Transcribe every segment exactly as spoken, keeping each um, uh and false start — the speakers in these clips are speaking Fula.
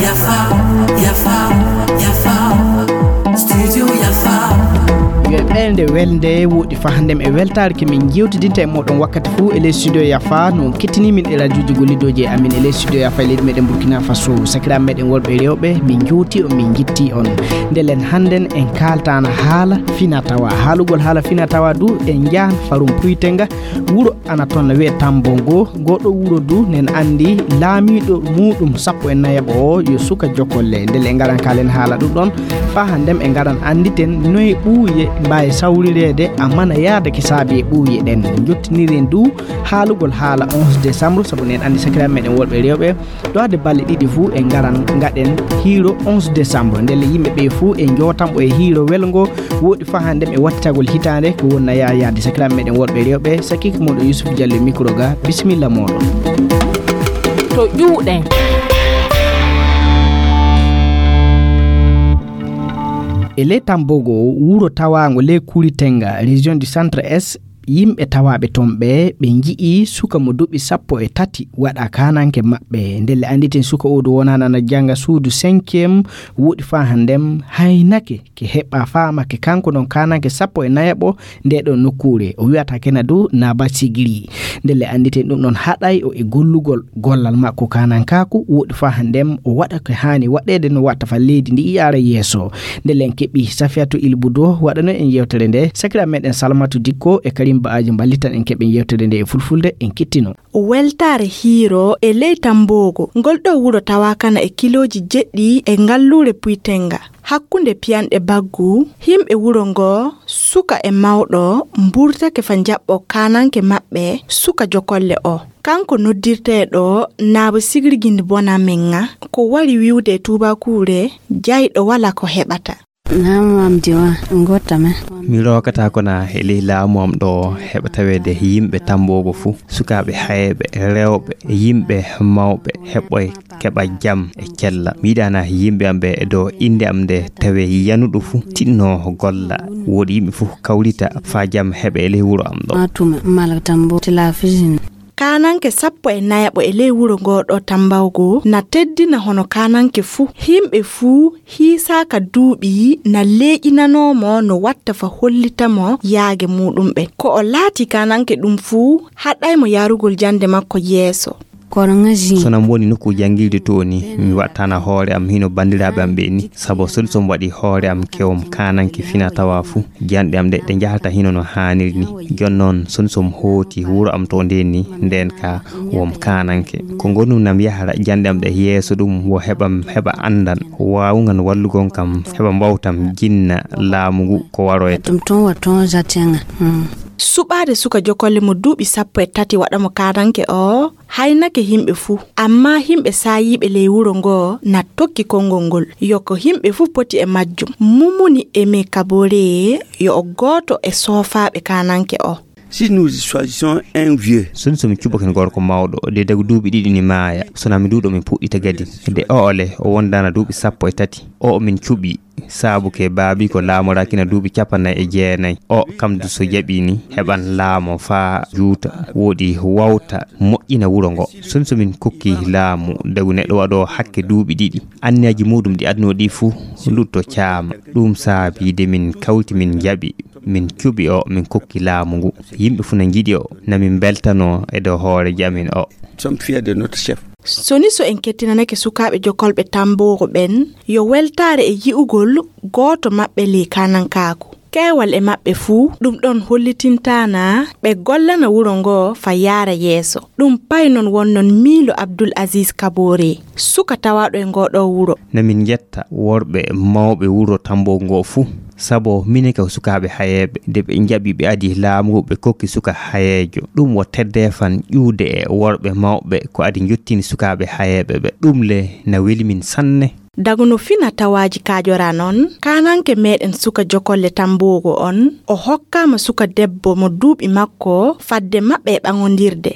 Yafa, Yafa, Yafa, Studio Yafa. Yo ɓeynde welde woɗi fahndem e weltaare ke min jewtidinta e moɗon wakkati fuu e ley studio Yafa, no on kettini min e radioji gollidooji e amin e ley studio Yafa e leydi meɗen Burkina Faso. Sakiraaɓe meɗen worɓe e rewɓe, min jowti on, min jitti on. Ndelen hannden en kaaltaana haala fina tawa. Haalugol haala fina tawa du, en njahan farum puytenga, wuro ana toon no wiyee Tambongo. Goɗɗo wuro du nen anndi laamiiɗo muuɗum sappo e nayaɓo o yo suka jokolle. Ndele en ngaran kaalen haala ɗum ɗon, faa hannden en ngaran annditen noye ɓuuye mbaawi sawrireede, amana yaada ke saabi e ɓuuye ɗen. Jottiniren du haalugol haala onze décembre, sabu nen anndi sakiraaɓe meɗen worɓe e rewɓe, ɗo hade balɗe ɗiɗi fuu en ngaran ngaɗen hiiro onze décembre. Ndele yimɓe ɓe fuu en jootan ɓo e hiiro welngo, woɗi faa hannden e wattitagol hitaande ko wonna yaa yaade. Sakiraaɓe meɗen worɓe e rewɓe, sakiike moɗon Yusuf Diallo e micro ga, bisimilla moɗon. To ƴuuɗen. E ley Tambogo, wuro tawaango ley Kuritenga, région du Centre Est, yimɓe tawaaɓe toon ɓe, ɓe nji'i suka mo duuɓi sappo e tati waɗa kaananke maɓɓe. Ndelle annditen suka o du wonaano ana jannga suudu cinquième, woɗi faa hannden haynake ke heɓa faamake kanko non kaananke sappo e nayaɓo nde ɗon nokkuure. O wiyata kena du Naba Sigiri. Ndelle annditen ɗum ɗon haɗay o e gollugol gollal makko kaanankaaku, woɗi faa hannden o waɗa ko haani waɗeede no watta faa leydi ndi yaara yeeso. Ndelle en keɓi Safiyatu Ilbudo waɗano en yewtere nde. Sakiraaɓe meɗen Salamatu Dikko e Karim Ba'aji mballitan en keɓen yewtere nde e fulfulde, en kettino. Weltaare hiiro e ley Tamboogo. Ngol ɗoo wuro tawaakana e kilooji jeɗɗi e ngalluure Puytenga. Hakkunde piyanɗe baggu, yimɓe wuro ngoo, suka e mawɗo, mburtake faa njaɓɓoo kaananke maɓɓe, suka jokolle oo. Kanko noddirteeɗo Naabo Sigirgindi Bonamen ŋa, ko wari wi'ude e tuubaakuure, jayɗo walaa ko heɓata. Naam, am diwa, ngota me. Mi rookataa ko na e ley laamu am ɗo heɓa taweede yimɓe Tamboogo fuu, sukaaɓe hayeeɓe, rewɓe, yimɓe mawɓe, heɓɓoy keɓa jam e cella. Mi yiɗaana yimɓe am ɓe e dow innde am nde tawe yanuɗo fuu tinno golla. Woɗi yimɓe fuu kawrita faa jam heɓe e ley wuro am ɗo. Matuma, malak Tambo, tila fijin. Kaananke sappo e nayaɓo e ley wuro ngoo ɗoo Tambawgo na teddina hono kaananke fuu. Yimɓe fuu hiisaaka duuɓi na leeƴinanoo mo no watta faa hollita mo yaage muuɗum ɓen. Ko o laati kaananke ɗum fuu haɗay mo yarugol jannde makko yeeso. Kono ngaji. So nam woni nokku janngirde to ni, mi wattana hoore am hino banndiraaɓe am ɓe ni, sabu so ɗum waɗi hoore am kewam kaananke fina tawa fuu. Janɗe am ɗe, ɗe njahata hino no haaniri ni. Jon noon, so ɗum hooti wuro am to ndeen ni, ndeen ka wom kaananke. Ko ngonum nam yahara janɗe am ɗe yeeso ɗum wo heɓam heɓa anndan, waawungan wallugon kam, heɓa mbawtam jinna laamu ngu ko waroyta. Ɗum toon wa toon jatenga. Hmm. Suɓaade suka jokolle mo duuɓi sappo e tati waɗa mo kaananke o, haynake yimɓe fuu. Ammaa yimɓe saayiiɓe ley wuro ngoo na tokki konngol ngol. Yo ko yimɓe fuu poti e majjum. Mumuni Aimé Kabore yo o gooto e soofaaɓe kaananke o. Si nous choisissons un vieux. So ɗum so min cuɓoken gorko mawɗo, de dagu duuɓi ɗiɗi ni maaya. So na mi duuɗo min puɗɗita gadi. De o ole, o wondaana duuɓi sappo e tati. O min cuɓi. Saabu ke baabi ko laamoraaki na duuɓi cappannayi e jeenayi. O kam du so jaɓi ni, heɓan laamo faa juuta, woɗi wawta moƴƴina wuro ngo. So ɗum so min kokki laamu, dagu neɗɗo waɗo hakke duuɓi ɗiɗi. Anniyaaji muuɗum ɗi adunoo ɗi fuu, lutto caama. Ɗum saabi de min kawti min jaɓi, min cuɓi o, min kokki laamu ngu. Yimɓe fuu na njiɗi o, na min mbeltanoo e dow hooreejo amin o. Sommes fiers de notre chef. So ni so en kettinanake sukaaɓe jokolɓe Tamboogo ɓen, yo weltaare e yi'ugol gooto maɓɓe ley kaanankaaku. Keewal e maɓɓe fuu, ɗum ɗon hollitintaana ɓe gollana wuro ngoo faa yaara yeeso. Ɗum pay non wonnon miilo Abdul Aziz Kabore, suka tawaaɗo e ngoo ɗoo wuro. Na min njetta worɓe mawɓe wuro Tamboogo ngoo fuu. Sabo minen ka sukaaɓe hayeeɓe, de ɓe njaɓi ɓe adi laamu ngu ɓe kokki suka hayeejo. Ɗum wo teddeefan ƴuwde e worɓe mawɓe ko adi njottini sukaaɓe hayeeɓe ɓe. Ɗum le na weli min sanne. Dagu no fina tawaaji kaajora non, kaananke meɗen suka jokolle Tamboogo on, o hokkaama suka debbo mo duuɓi makko fadde maɓɓe e ɓaŋondirde.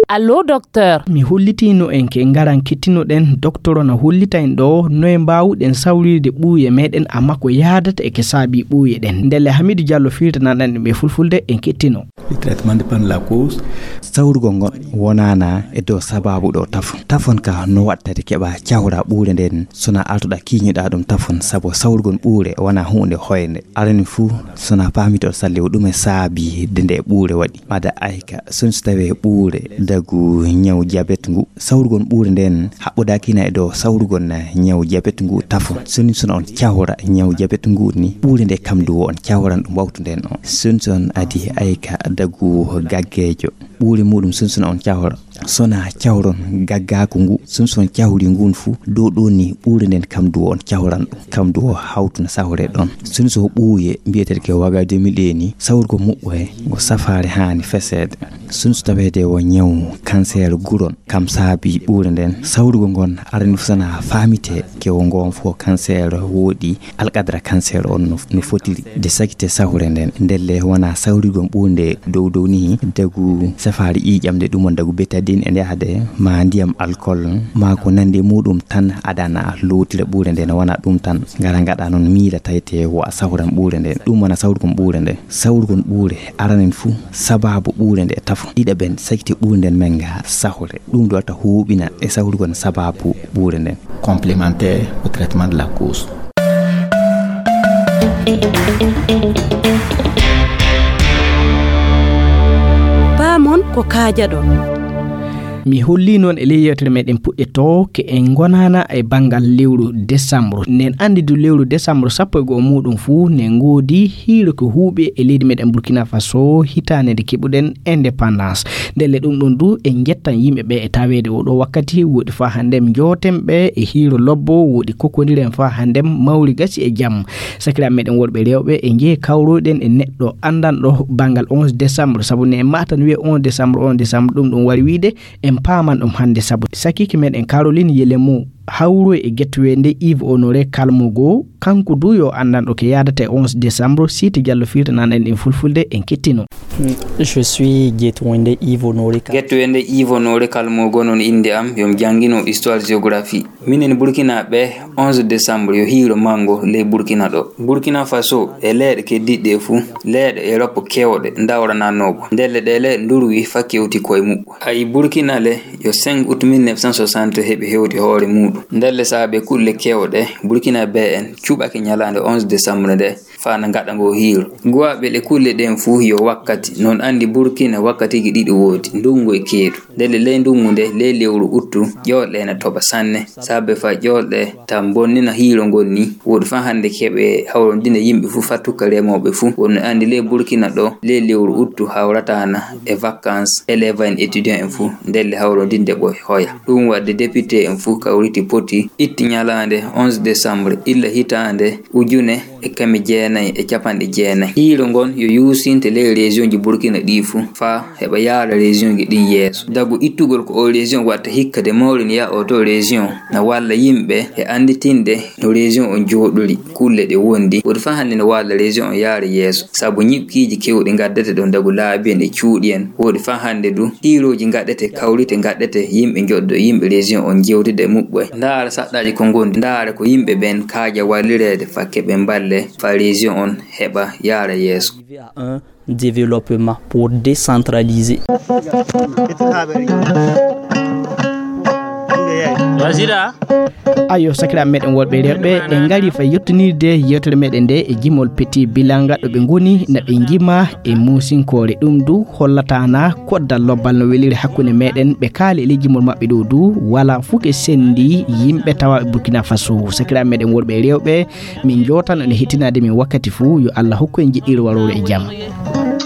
Allo, docteur. Mi hollitino en ke ngaran kettinoɗen, docteur na hollita en ɗo noye mbaawuɗen sawrirde ɓuuye meɗen, amma ko yaadata e ke saabi ɓuuye ɗen. Ndelle Hamidu Diallo firtanan en ɓe fulfulde, en kettino. Le traitement dépend de la cause. Sawrugol ngon wonaana e dow sababu ɗo tafon. Tafon ka no waɗtade keɓa cawra ɓuure nden, sona altoɗa kiiñuɗa ɗum tafon, sabu sawrugol ɓuure wona huunde hoynde. Arani fuu, sona paamito salli o ɗume saabi de nde ɓuure waɗi. Mada ayka, sun so tawee ɓuure dagu ñaw jabet ngu, sawrugol ɓuure nden haɓɓodaakina e dow sawrugol na ñaw jabet ngu tafon. Sun sona on cawra ñaw jabet ngu ni, ɓuure nde kam du on cawran ɗum wawtu nden on. Sun son adi ayka dagu gaggeejo. Ɓuure muɗum sun sona on cawra. Sona cawron gaggaaku ngu, sun son cawri ngun fu, dow ɗo ni ɓuure nden kam du on cawran ɗum. Kam du o hawtuna sawre ɗon. Sun so ɓuuye mbiyeteɗe ke waga deux mille ɗe ni, sawrugol muɓɓoye ngo safaare haani feseede. Sun so taweede wo ñaw kanseer guron, kam saabi ɓuure nden. Sawrugol ngon arani fu sana faamite ke wo ngon fo kanseer woɗi alqadra kanseer on no, no fotiri. De sakite sawre nden. Ndelle wona sawrugol ɓuure nde dow dow ni, dagu safaari ƴiiƴam nde ɗum on dagu betadine e nde hade ma ndiyam alcool ma ko nandi e muɗum tan adana lowtira ɓuure nde no wona ɗum tan. Ngara ngaɗa noon miila tawete wo a sawran ɓuure nde. Ɗum wona sawrugol ɓuure nde. Sawrugol ɓuure aranen fuu sababu ɓuure nde tafo. Ɗiɗaɓen sakiti ɓuure nden men nga sahore. Ɗum ɗo wata huuɓina e sawrugol sababu ɓuure nden. Complémentaire au traitement de la cause. Paamon ko kaajaɗon. Mi holli noon e ley yewtere meɗen puɗɗe to ke en ngonana e banngal lewru décembre. Nen anndi du lewru décembre sappo e go'o muɗum fuu ne ngoodi hiiro ko huuɓi e leydi meɗen Burkina Faso hitaande nde keɓuɗen indépendance. Ndelle ɗum ɗum du en njettan yimɓe ɓe e taweede oɗo wakkati woɗi faa hanndem njooten ɓe e hiiro lobbo woɗi kokondiren faa hanndem mawri gasi e jam. Sakiraaɓe meɗen worɓe rewɓe e njee kawroyɗen e neɗɗo anndanɗo banngal onze décembre, sabu ne en matan wiye onze décembre, onze décembre, ɗum ɗum wari wiide en paaman ɗum hannde, sabu sakiike meɗen Caroline Yelemu hawroy e gettoweende Yves Honoré Kalmogo, kanko du yo anndanɗo ke yaadata e onze décembre, Siti Diallo firtanan en ɗin fulfulde en kettino. Je suis Getwende Yves Honoré Kal- Gettoweende Yves Honoré Kalmogo non innde am, yo mi janngino histoire géographie. Minen Burkinaaɓe, onze décembre yo hiiro manngo ley Burkina ɗo. Burkina Faso e leyɗe keddiiɗe ɗe fuu, leyɗe Europe keewɗe ndawrananoogo. Ndelle ɗee leyɗe ndurwi faa kewti koye muɓɓo. Ayi Burkina le, yo cinq août mille neuf cent soixante heɓi hewti hoore muuɗum. Ndelle saabe kulle keewɗe, Burkinaaɓe en cuɓake ñalaande onze décembre nde, faa na ngaɗa ngo hiiro. Guwaaɓe ɗe kulle ɗen fuu yo wakkati, non anndi Burkina wakkatiiji ɗiɗi woodi, ndunngu e keeɗu. Ndelle ley ndunngu nde, ley lewru uttu, ƴoolɗe ena toɓa sanne. Saabe faa ƴoolɗe ta bonnina hiiro ngol ni, woodi faa hannde keɓe hawrondina yimɓe fuu, faa tukka remooɓe fuu. Wonno anndi ley Burkina ɗo, ley lewru uttu hawrataana e vacances élèves en étudiants en fuu, ndelle hawrondinde ɓoy hoya. Ɗum waɗde député en fuu kawriti poti itti ñalaande onze décembre illa hitaande ujune e keme jeenayi e capanɗe jeenayi. Hiiro ngon yo yuusinte ley région ji Burkina ɗi fuu faa heɓa yaara région ji ɗin yeeso. Dagu ittugol ko o région watta hikka de mawrin ya o to région na walla yimɓe e annditinde no région on jooɗori, kulle ɗe wondi. Woodi faa hannde no walla région on yaara yeeso. Sabu ñiɓkiiji kewɗi ngaddete ɗon dagu laabi en e cuuɗi en. Woodi faa hannde du hiirooji ngaɗete, kawrite ngaɗete, yimɓe njoɗɗo, yimɓe région on jewtida e muɓɓoy. Ndaara saɗɗaaji ko ngondi, ndaara ko yimɓe ɓen kaaja wallireede faa keɓe mballe, faa région on heɓa yaara yeeso. Arriver à un développement pour décentraliser. Wasira. Ayo, sakiraaɓe meɗen worɓe e rewɓe, en ngari faa yettinirde yewtere meɗen nde e jimol Petit Bilanga ɗo ɓe ngoni na ɓe njima e muusinkoore. Ɗum du hollata na koddal lobbal no weliri hakkunde meɗen. Ɓe kaali e ley jimol maɓɓe ɗo du wala fuu ke sendi yimɓe tawaaɓe Burkina Faso. Sakiraaɓe meɗen worɓe e rewɓe, min njootan on e hettinaade min wakkati fuu. Yo Allah hokku en jiɗɗiire waroore e jam.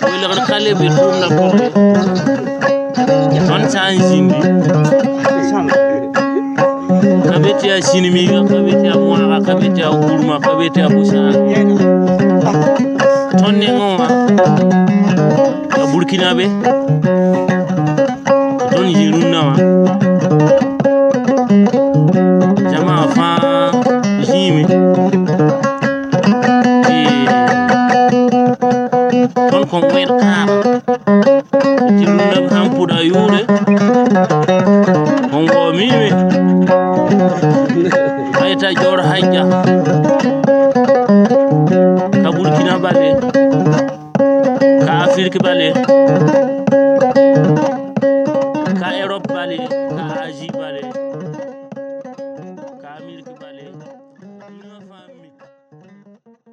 Waylo kadi kala ɓe ɗum na porte. Ton sanjindi. Kabetia sinimiga, kabetia monaga, kabetia gurma, kabetia busa. Tonne ngoma. Ka Burkina be. Ton jirunnama. Jama fa jimi. Ton kon wen kama. Jirunnam hampuda yure. On ngo mimi. Ayta jor hajja. Ka Burkina bale. Ka Afirki bale. Ka Europe bale. Ka Asie bale.